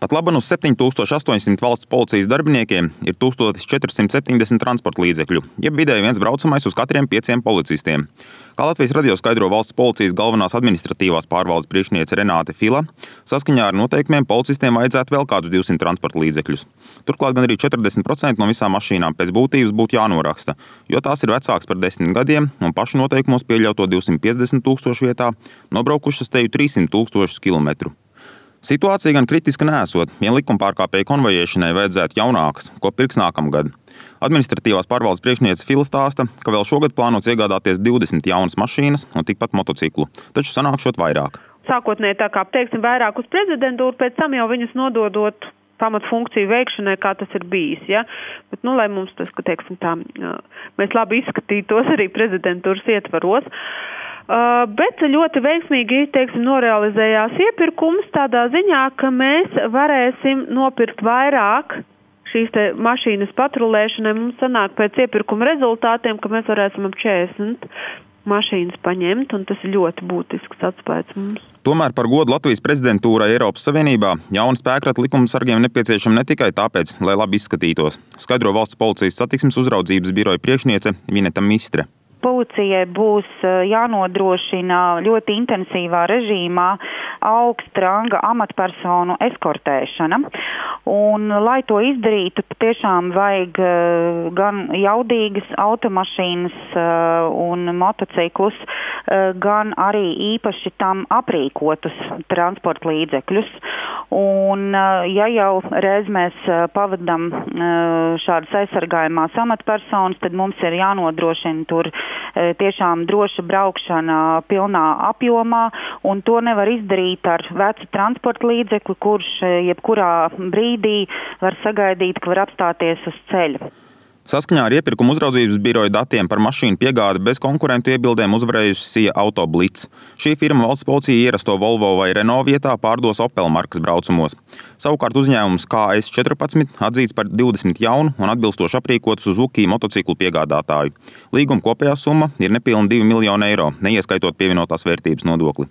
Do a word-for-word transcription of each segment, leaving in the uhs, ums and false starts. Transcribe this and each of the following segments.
Pat laban uz septiņi tūkstoši astoņsimt valsts policijas darbiniekiem ir tūkstoš četri simti septiņdesmit transporta līdzekļu, jeb vidēji viens braucamais uz katriem pieciem policistiem. Kā Latvijas radio skaidro valsts policijas galvenās administratīvās pārvaldes priekšniece Renāte Fila, saskaņā ar noteikumiem policistiem vajadzētu vēl kādus divsimt transporta līdzekļus. Turklāt gan arī četrdesmit procenti no visām mašīnām pēc būtības būtu jānoraksta, jo tās ir vecākas par desmit gadiem un pašu noteikumos pieļauto divsimt piecdesmit tūkstošu vietā nobraukušas teju trīssimt tūkstošus kilometru. Situācija gan kritiska neesot, vien likumpārkāpēju konvojēšanai vajadzētu jaunākas, ko pirks nākamgad. Administratīvās pārvaldes priekšniece Fila stāsta, ka vēl šogad plānots iegādāties divdesmit jaunas mašīnas un tikpat motociklu, taču sanākšot vairāk. Sākotnēji tā kā, teiksim, vairāk uz prezidentūru, pēc tam jau viņus nododot pamatfunkciju veikšanai, kā tas ir bijis, ja? Bet, nu, lai mums tas, ka, teiksim, tā, mēs labi izskatītos arī prezidentūras ietvaros. Uh, bet ļoti veiksmīgi, teiksim, norealizējās iepirkums tādā ziņā, ka mēs varēsim nopirkt vairāk šīs te mašīnas patrulēšanai. Mums sanāk pēc iepirkuma rezultātiem, ka mēs varēsim ap četrdesmit mašīnas paņemt, un tas ir ļoti būtisks atspējas mums. Tomēr par godu Latvijas prezidentūrai Eiropas Savienībā jauna spēkrata likumsargiem nepieciešama ne tikai tāpēc, lai labi izskatītos, skaidro valsts policijas satiksmes uzraudzības biroja priekšniece Vineta Mistre. Policijai būs jānodrošina ļoti intensīvā režīmā augsta ranga amatpersonu eskortēšana. Un, lai to izdarītu, patiešām vajag gan jaudīgas automašīnas un motociklus, gan arī īpaši tam aprīkotus transporta līdzekļus. Un, ja jau reiz mēs pavadam šādas aizsargājumās amatpersonas, tad mums ir jānodrošina tur tiešām droša braukšana pilnā apjomā, un to nevar izdarīt ar vecu transporta līdzekli, kurš jebkurā brīdī var sagaidīt, ka var apstāties uz ceļa. Saskaņā ar iepirkuma uzraudzības biroja datiem par mašīnu piegādi bez konkurentu iebildēm uzvarējusi Sia Auto Blitz. Šī firma valsts policija ierasto Volvo vai Renault vietā pārdos Opel markas braucumos. Savukārt uzņēmums K S četrpadsmit atzīts par divdesmit jaunu un atbilstoši aprīkotu Suzuki motociklu piegādātāju. Līguma kopējā summa ir nepilni divi miljoni eiro, neieskaitot pievienotās vērtības nodokli.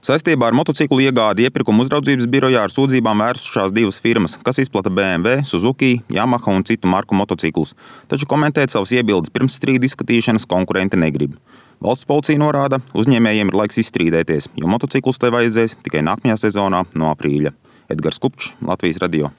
Saistībā ar motociklu iegādi iepirkuma uzraudzības birojā ar sūdzībām vērsušās divas firmas, kas izplata B M W, Suzuki, Yamaha un citu marku motociklus, taču komentēt savas iebildes pirms strīdu izskatīšanas konkurenti negrib. Valsts policija norāda, uzņēmējiem ir laiks izstrīdēties, jo motociklus te vajadzēs tikai nākamajā sezonā no aprīļa. Edgars Kupčs, Latvijas radio.